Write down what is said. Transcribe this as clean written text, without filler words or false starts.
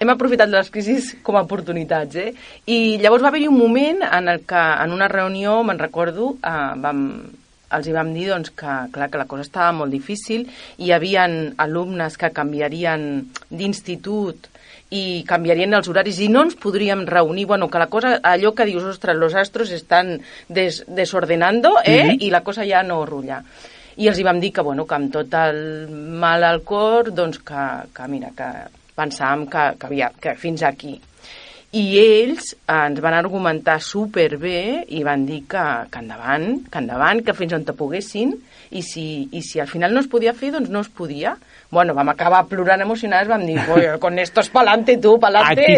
hem aprofitat les crisis com a oportunitats, I llavors va haver-hi un moment en el que, en una reunió, me'n recordo, els hi vam dir doncs, que la cosa estava molt difícil, i hi havia alumnes que canviarien d'institut i canviarien els horaris i no ens podríem reunir, que la cosa, allò que dius, ostres, los astros están desordenando, i la cosa ja no rulla. I els hi vam dir que amb tot el mal al cor, doncs que mira, que pensàvem que fins aquí. I ells ens van argumentar superbé i van dir que endavant, que fins on te poguessin, i si al final no es podia fer, doncs no es podia. Vam acabar plorant emocionades, vam dir, con estos pa'lante, tu, pa'lante.